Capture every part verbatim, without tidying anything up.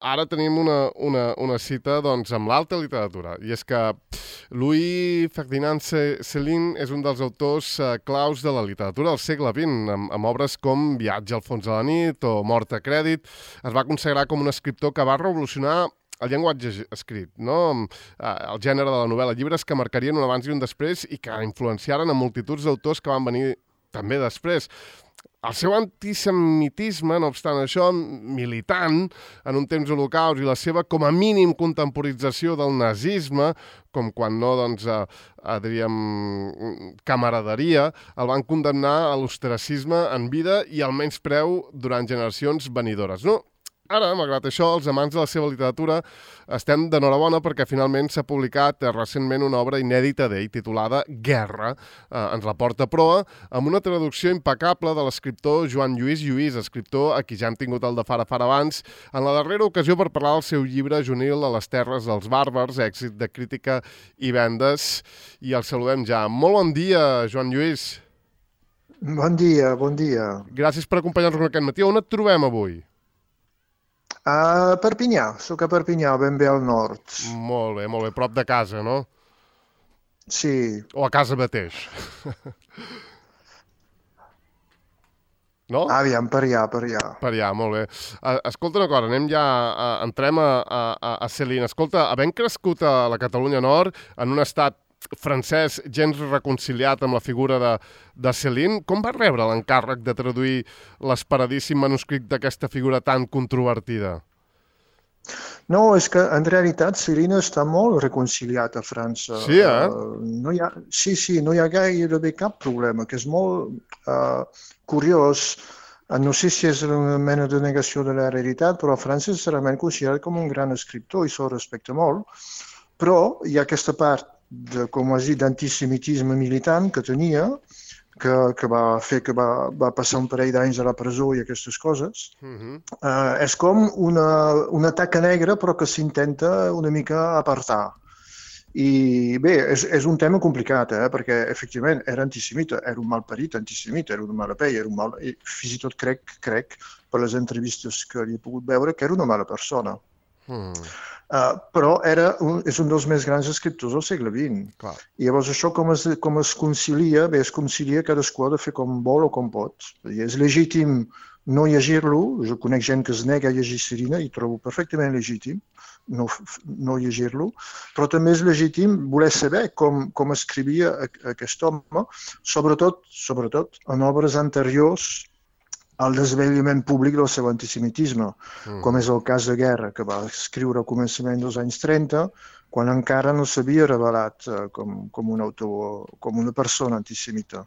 ara tenim una, una, una cita doncs, amb l'alta literatura, i és que Louis Ferdinand Céline és un dels autors eh, claus de la literatura del segle vint, amb, amb obres com Viatge al fons de la nit o Mort a crèdit. Es va consagrar com un escriptor que va revolucionar el llenguatge escrit, no? El gènere de la novel·la, llibres que marcarien un abans i un després i que influenciaren a multituds d'autors que van venir també després. El seu antisemitisme, no obstant això, militant en un temps holocaust i la seva, com a mínim, contemporització del nazisme, com quan no, doncs, a, a, diríem, camaraderia, el van condemnar a l'ostracisme en vida i al menyspreu durant generacions venidores. No? Ara, malgrat això, els amants de la seva literatura estem d'enhorabona perquè finalment s'ha publicat eh, recentment una obra inèdita d'ell titulada Guerra. Eh, ens la porta a proa amb una traducció impecable de l'escriptor Joan Lluís Lluís, escriptor a qui ja hem tingut el de Fara Fara abans, en la darrera ocasió per parlar del seu llibre juvenil A les terres dels bàrbars, èxit de crítica i vendes. I el saludem ja. Molt bon dia, Joan Lluís. Bon dia, bon dia. Gràcies per acompanyar-nos aquest matí. On et trobem avui? A Perpinyà, soc a Perpinyà, ben bé al nord. Molt bé, molt bé. Prop de casa, no? Sí. O a casa mateix. No? Aviam, per allà, per allà. Per allà, molt bé. Escolta una cosa, anem ja, a, entrem a, a, a Céline. Escolta, havent crescut a la Catalunya Nord, en un estat francès gens reconciliat amb la figura de, de Céline, com va rebre l'encàrrec de traduir l'esperadíssim manuscrit d'aquesta figura tan controvertida? No, és que en realitat Céline està molt reconciliat a França. Sí, eh? Uh, no hi ha, sí, sí, no hi ha gairebé cap problema, que és molt uh, curiós. Uh, no sé si és una mena de negació de la realitat, però a França és realment considerat com un gran escriptor i se'l respecta molt. Però hi ha aquesta part de, com has dit, d'antisemitisme militant que tenia, que, que va fer que va, va passar un parell d'anys a la presó i aquestes coses. Uh-huh. uh, és com una, una taca negra, però que s'intenta una mica apartar. I bé, és, és un tema complicat, eh? Perquè efectivament era antisemita, era un malparit antisemita, era una mala pell, era un mal... I fins i tot crec, crec, per les entrevistes que li he pogut veure, que era una mala persona. Hmm. Uh, però era un, és un dels més grans escriptors del segle vint. Clar. I llavors això com es, com es concilia? Bé, es concilia cadascú ha de fer com vol o com pot. I és legítim no llegir-lo. Jo conec gent que es nega a llegir Céline i trobo perfectament legítim no, no llegir-lo, però també és legítim voler saber com, com escrivia aquest home, sobretot, sobretot en obres anteriors al desvetllament públic del seu antisemitisme, mm. com és el cas de Guerra, que va escriure al començament dels anys trenta, quan encara no s'havia revelat uh, com, com un autor, com una persona antisemita.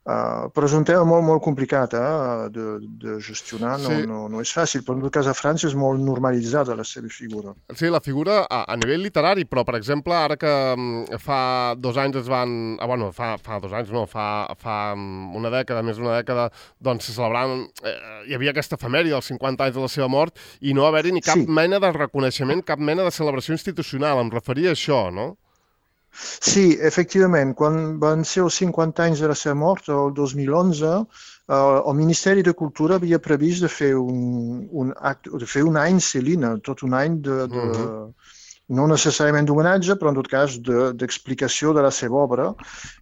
Uh, però és un tema molt, molt complicat eh, de, de gestionar, no, sí. no, no és fàcil, però en tot cas a França és molt normalitzada la seva figura. Sí, la figura a, a nivell literari, però per exemple ara que um, fa dos anys es van... Ah, bueno, fa, fa dos anys no, fa, fa una dècada, més d'una dècada, doncs se celebraven... Eh, hi havia aquesta efemèride dels cinquanta anys de la seva mort i no haver-hi ni cap sí. mena de reconeixement, cap mena de celebració institucional. Em referia a això, no? Sí, efectivament, quan van ser els cinquanta anys de la seva mort, el dos mil onze, eh, el Ministeri de Cultura havia previst de fer un, un, acte, de fer un any Céline, tot un any de, de, uh-huh. no necessàriament d'homenatge, però en tot cas d'explicació de, de la seva obra,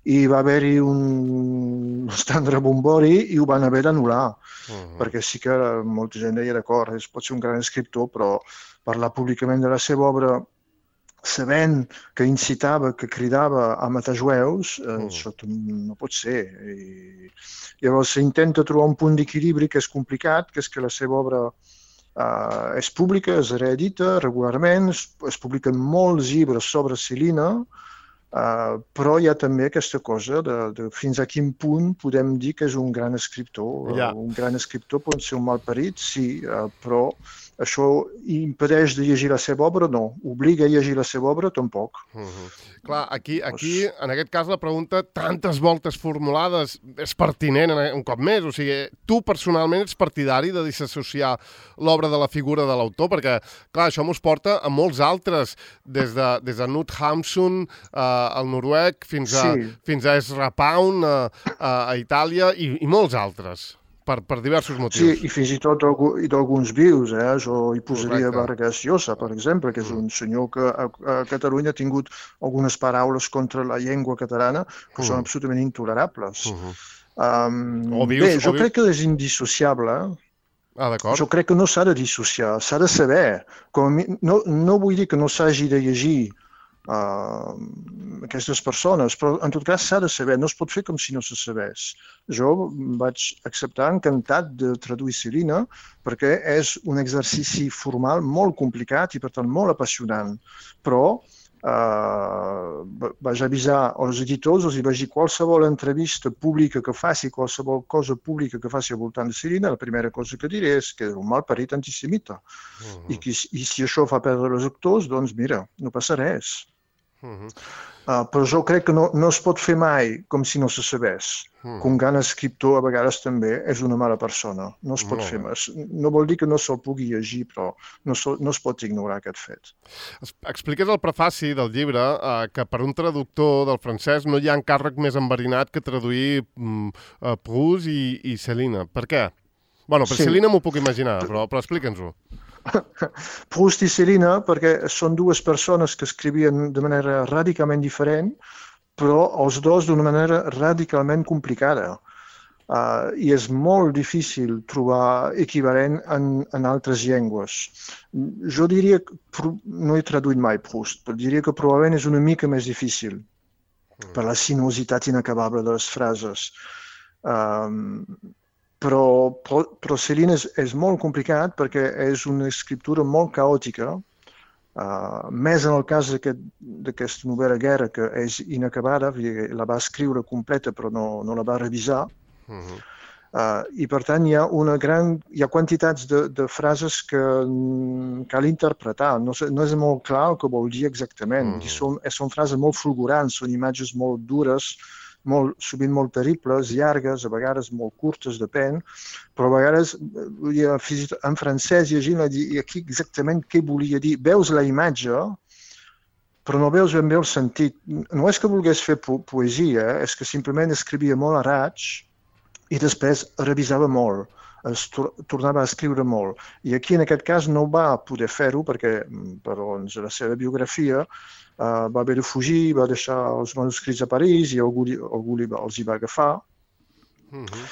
i va haver-hi un bastant rebombori i ho van haver d'anul·lar, uh-huh. perquè sí que molta gent deia d'acord, pot ser un gran escriptor, però parlar públicament de la seva obra sabent que incitava, que cridava a matar jueus, eh, mm. això no pot ser. I llavors s'intenta trobar un punt d'equilibri que és complicat, que és que la seva obra eh, és pública, es reedita regularment, es, es publiquen molts llibres sobre Céline, eh, però hi ha també aquesta cosa de, de fins a quin punt podem dir que és un gran escriptor. Yeah. Uh, un gran escriptor pot ser un malparit, sí, uh, però això impedeix de llegir la seva obra? No. Obliga a llegir la seva obra? Tampoc. Uh-huh. Clar, aquí, aquí, en aquest cas, la pregunta, tantes voltes formulades, és pertinent un cop més. O sigui, tu personalment ets partidari de disassociar l'obra de la figura de l'autor? Perquè, clar, això mos porta a molts altres, des de, des de Knut Hamsun, eh, al noruec, fins a, sí. fins a Ezra Pound, a, a Itàlia, i, i molts altres. per, per diversos motius. Sí, i fins i tot d'alguns vius, eh? Jo hi posaria Correcte. Vargas Llosa, per exemple, que és un senyor que a, a Catalunya ha tingut algunes paraules contra la llengua catalana que Mm. són absolutament intolerables. Mhm. Um, O vius- bé, jo o vius- crec que és indissociable. Ah, d'acord. Jo crec que no s'ha de dissociar, s'ha de saber. Com a mi, no, no vull dir que no s'hagi de llegir uh, aquestes persones, però en tot cas s'ha de saber, no es pot fer com si no se sabés. Jo vaig acceptar encantat de traduir Celina perquè és un exercici formal molt complicat i per tant molt apassionant, però Uh, vaig avisar els editors, els vaig dir qualsevol entrevista pública que faci, qualsevol cosa pública que faci al voltant de Celina, la primera cosa que diré és que és un malparit antisemita. Uh-huh. I, que, I si això fa perdre els actors, doncs mira, no passa res. Uh-huh. Uh, però jo crec que no, no es pot fer mai com si no se sabés. Uh-huh. Que un gran escriptor a vegades també és una mala persona. No es pot uh-huh. fer més. No vol dir que no se'l pugui llegir, però no, so, no es pot ignorar aquest fet. Expliques al prefaci del llibre uh, que per un traductor del francès no hi ha encàrrec més enverinat que traduir um, uh, Proust i, i Celina. Per què? Bueno, per sí. Celina m'ho puc imaginar, però, però explica'ns-ho. Proust i Celina, perquè són dues persones que escrivien de manera radicalment diferent, però els dos d'una manera radicalment complicada. Uh, I és molt difícil trobar equivalent en, en altres llengües. Jo diria que, no he traduït mai Proust, però diria que probablement és una mica més difícil mm. per la sinuositat inacabable de les frases. Um, Però, però, però Celina és, és molt complicat perquè és una escriptura molt caòtica, uh, més en el cas d'aquesta aquest, novel·la Guerra, que és inacabada, la va escriure completa però no, no la va revisar, uh-huh. uh, i per tant hi ha una gran, hi ha quantitats de, de frases que cal interpretar, no, no és molt clar el que vol dir exactament, uh-huh. I són, són frases molt fulgurants, són imatges molt dures, molt, sovint molt terribles, llargues, a vegades molt curtes, depèn, però a vegades, en francès, llegint, i aquí exactament què volia dir. Veus la imatge, però no veus ben bé el sentit. No és que volgués fer po poesia, és que simplement escrivia molt a raig i després revisava molt, es tor tornava a escriure molt. I aquí, en aquest cas, no va poder fer-ho perquè, per doncs, la seva biografia, Uh, va haver de fugir, va deixar els manuscrits a París i algú, algú els hi va agafar. Uh-huh.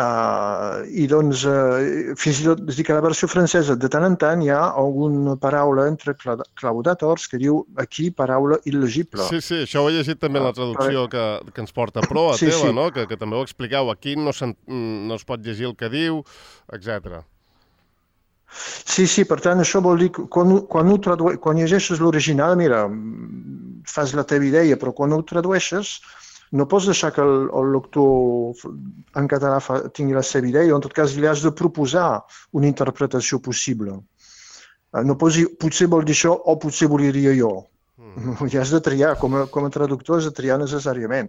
uh, I doncs, uh, fins i tot, és dir que a la versió francesa, de tant en tant hi ha alguna paraula entre claudàtors que diu aquí paraula il·legible. Sí, sí, això ho he llegit també en la traducció uh, que, que ens porta Pro, a sí, teva, sí. No? Que, que també ho expliqueu. Aquí no, no es pot llegir el que diu, etcètera. Sí, sí, per tant, això vol dir que quan, quan, tradueix, quan llegeixes l'original, mira, fas la teva idea, però quan ho tradueixes no pots deixar que el, el lector en català fa, tingui la seva idea, o en tot cas li has de proposar una interpretació possible. No pots dir, potser vol dir això o potser volia dir jo. Mm. I has de triar, com a, com a traductor has de triar necessàriament.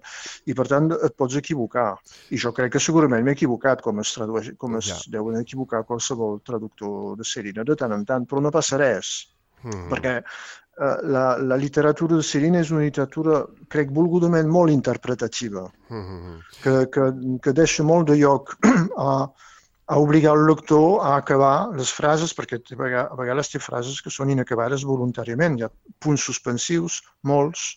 I per tant et pots equivocar. I jo crec que segurament m'he equivocat, com es, tradueix, com es ja. deuen equivocar qualsevol traductor de Celina de tant en tant, però no passa res. Mm. Perquè uh, la, la literatura de Celina és una literatura, crec, volgudament molt interpretativa, mm. que, que, que deixa molt de lloc a... a obligar el lector a acabar les frases, perquè a vegades té frases que són inacabades voluntàriament. Hi ha punts suspensius, molts,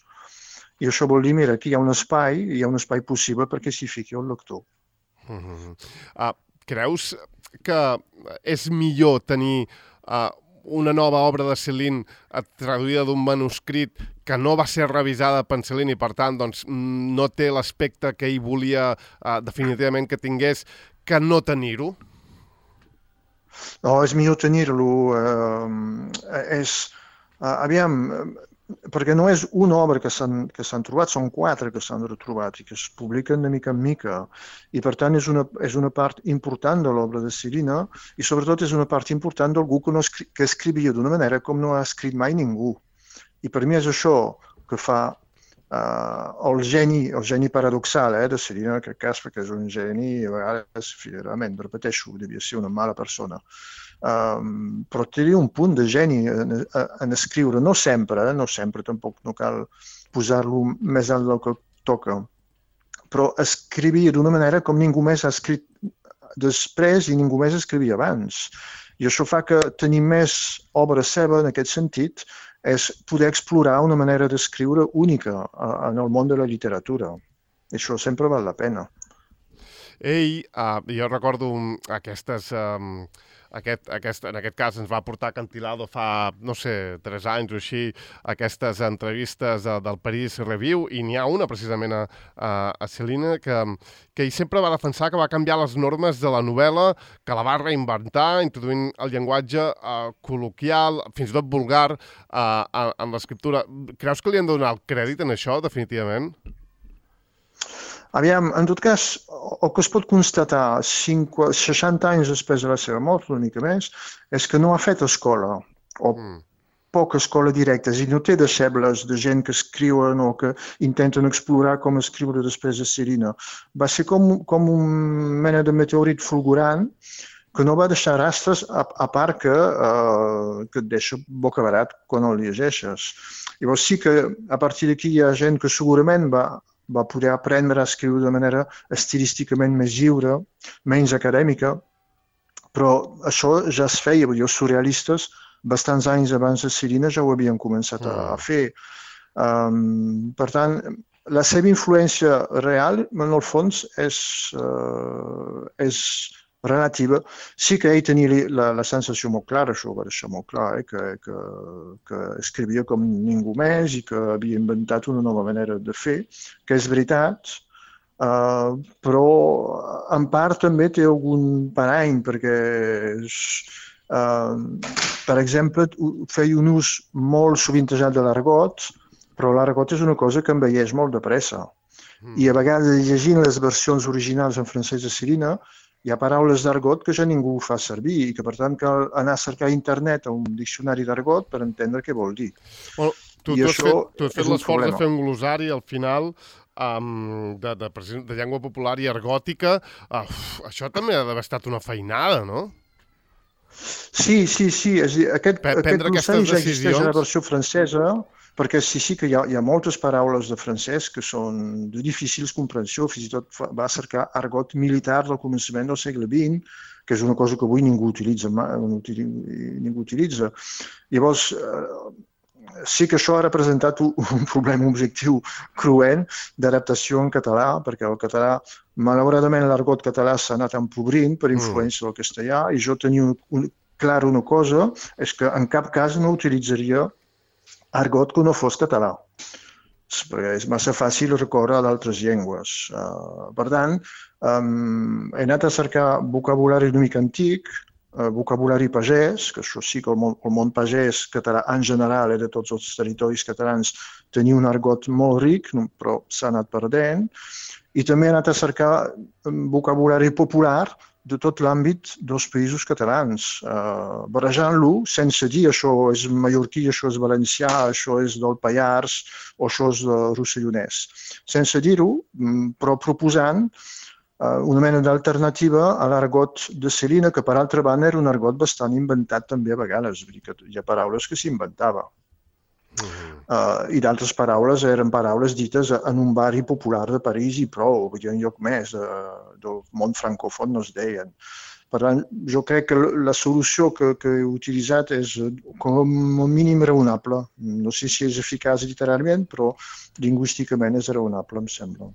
i això vol dir, mira, aquí hi ha un espai, hi ha un espai possible perquè s'hi fiqui el lector. Uh-huh. uh, creus que és millor tenir uh, una nova obra de Céline traduïda d'un manuscrit que no va ser revisada per Céline i, per tant, doncs, no té l'aspecte que ell volia uh, definitivament que tingués, que no tenir-ho? No, és millor tenir-lo. Eh, és, eh, aviam, perquè no és una obra que s'han trobat, són quatre que s'han retrobat i que es publiquen de mica en mica. I per tant és una, és una part important de l'obra de Celina i sobretot és una part important d'algú que, no escri que escrivia d'una manera com no ha escrit mai ningú. I per mi és això que fa Uh, el geni, el geni paradoxal eh, de Celina, en aquest cas, perquè és un geni, a vegades, realment, repeteixo, devia ser una mala persona. Um, però té un punt de geni en, en escriure, no sempre, eh, no sempre, tampoc no cal posar-lo més alt del que toca, però escrivia d'una manera com ningú més ha escrit després i ningú més escrivia abans. I això fa que tenir més obra seva en aquest sentit és poder explorar una manera d'escriure única en el món de la literatura. I això sempre val la pena. Ell, uh, jo recordo aquestes... Um... Aquest, aquest, en aquest cas ens va portar Acantilado fa, no sé, tres anys o així, aquestes entrevistes de, del Paris Review, i n'hi ha una precisament a, a, a Céline que, que ell sempre va defensar que va canviar les normes de la novel·la, que la va reinventar, introduint el llenguatge uh, col·loquial, fins i tot vulgar, uh, en l'escriptura. Creus que li han de donar el crèdit en això, definitivament? Aviam, en tot cas, el que es pot constatar seixanta anys després de la seva mort, una mica més, és que no ha fet escola, o mm. poca escola directa, i no té deixebles de gent que escriuen o que intenten explorar com escriure després de Céline. Va ser com, com un mena de meteorit fulgurant que no va deixar rastres, a, a part que, uh, que et deixa bocabadat quan el llegeixes. Llavors sí que a partir d'aquí hi ha gent que segurament va va poder aprendre a escriure de manera estilísticament més lliure, menys acadèmica, però això ja es feia, vull dir, els surrealistes, bastants anys abans de Céline ja ho havien començat a, a fer. Um, per tant, la seva influència real, en el fons, és, uh, és relativa. Sí que ell tenia la, la sensació molt clara, això ho va deixar molt clar, eh, que, que, que escrivia com ningú més i que havia inventat una nova manera de fer, que és veritat, uh, però en part també té algun parany, perquè és, uh, per exemple, feia un ús molt sovintejat de l'argot, però l'argot és una cosa que envelleix molt de pressa. Mm. I a vegades, llegint les versions originals en francès de Céline, hi ha paraules d'argot que ja ningú fa servir i que, per tant, cal anar a cercar a internet a un diccionari d'argot per entendre què vol dir. Bueno, tu, tu, has fet, tu has fet l'esforç de fer un glosari al final um, de, de, de llengua popular i argòtica. Uh, això també ha d'haver estat una feinada, no? Sí, sí, sí. És a dir, aquest, aquest glossari ja existeix a la versió francesa, perquè sí, sí que hi ha, hi ha moltes paraules de francès que són de difícils comprensió, fins i tot va cercar argot militar del començament del segle vint, que és una cosa que avui ningú utilitza. Ningú utilitza. Llavors, sí que això ha representat un problema objectiu cruent d'adaptació en català, perquè el català, malauradament, l'argot català s'ha anat empobrint per influència del castellà, i jo tenia un, un, clar una cosa, és que en cap cas no utilitzaria argot que no fos català, perquè és massa fàcil recórrer a d'altres llengües. Uh, per tant, um, he anat a cercar vocabulari una mica antic, uh, vocabulari pagès, que això sí que el món, el món pagès català en general, eh, de tots els territoris catalans, tenia un argot molt ric, però s'ha anat perdent, i també he anat a cercar vocabulari popular de tot l'àmbit dels països catalans, eh, barrejant-lo sense dir això és mallorquí, això és valencià, això és del Pallars o això és de rossellonès. Sense dir-ho, però proposant eh, una mena d'alternativa a l'argot de Céline, que per altra banda era un argot bastant inventat també a vegades, vull dir que hi ha paraules que s'inventava. Uh, i d'altres paraules eren paraules dites en un barri popular de París i prou, vull dir, en lloc més de, del món francòfon no es deien. Per tant, jo crec que la solució que, que he utilitzat és com a mínim raonable. No sé si és eficaç literalment, però lingüísticament és raonable, em sembla.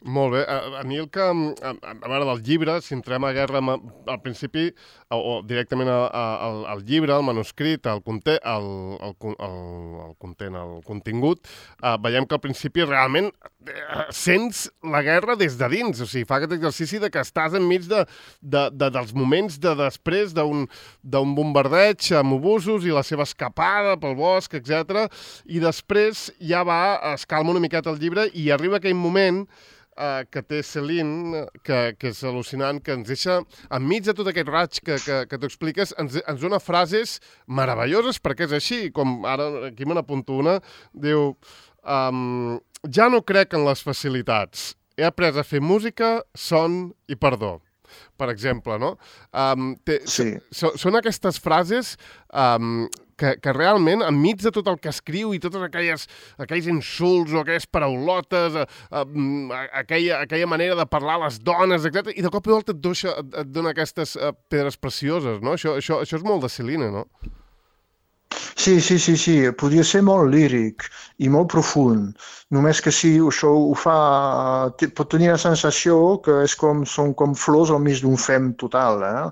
Molt bé. A, a mi el que... A, a veure, del llibre, si entrem a guerra al principi, o, o directament a, a, al, al llibre, al manuscrit, al conte, el, el, el, el content, el contingut, eh, veiem que al principi realment eh, sents la guerra des de dins. O sigui, fa aquest exercici de que estàs enmig de, de, de, dels moments de després d'un d'un bombardeig amb obusos i la seva escapada pel bosc, etcètera. I després ja va, es calma una miqueta el llibre i arriba aquell moment Uh, que té Céline, que, que és al·lucinant, que ens deixa, enmig de tot aquest raig que, que, que t'ho expliques, ens, ens dona frases meravelloses, perquè és així, com ara aquí me n'apunto una, diu, um, ja no crec en les facilitats, he après a fer música, son i perdó. Per exemple, no? Um, té, sí. so, són aquestes frases um, que, que realment, enmig de tot el que escriu i totes aquelles, aquells insults o aquelles paraulotes, a, a, a, aquella, aquella manera de parlar a les dones, etcètera, i de cop i volta et, doixa, et, et dona aquestes uh, pedres precioses, no? Això, això, això és molt de Céline, no? Sí, sí, sí, sí, podria ser molt líric i molt profund, només que si això ho fa, pot tenir la sensació que és com, són com flors al mig d'un fem total, eh?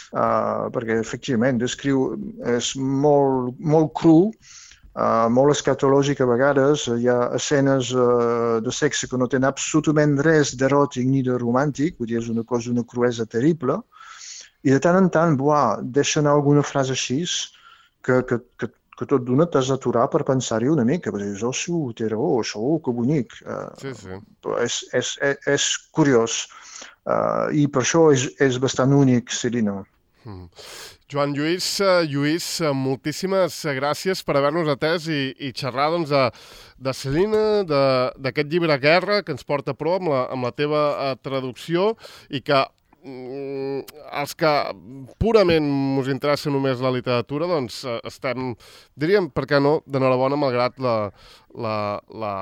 Uh, perquè efectivament descriu, és molt, molt cru, uh, molt escatològic a vegades, hi ha escenes uh, de sexe que no tenen absolutament res d'eròtic ni de romàntic, vull dir, és una cosa, una cruesa terrible, i de tant en tant, buah, deixen alguna frase així, que, que, que, que tot d'una t'has d'aturar per pensar-hi una mica, perquè dius, oh, sí, té raó, això, oh, que bonic. Uh, sí, sí. És, és, és, és curiós, uh, i per això és, és bastant únic, Céline. Mm. Joan Lluís, uh, Lluís, uh, moltíssimes gràcies per haver-nos atès i, i xerrar doncs, de, de Céline, d'aquest llibre Guerra, que ens porta a prou amb la, amb la teva uh, traducció, i que els que purament us interessa només la literatura, doncs estem, diríem, per què no, d'enhorabona, malgrat la, la, la,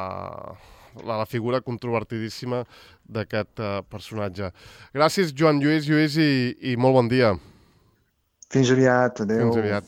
la, la figura controvertidíssima d'aquest uh, personatge. Gràcies, Joan Lluís, Lluís, i, i molt bon dia. Fins aviat, adeu. Fins aviat.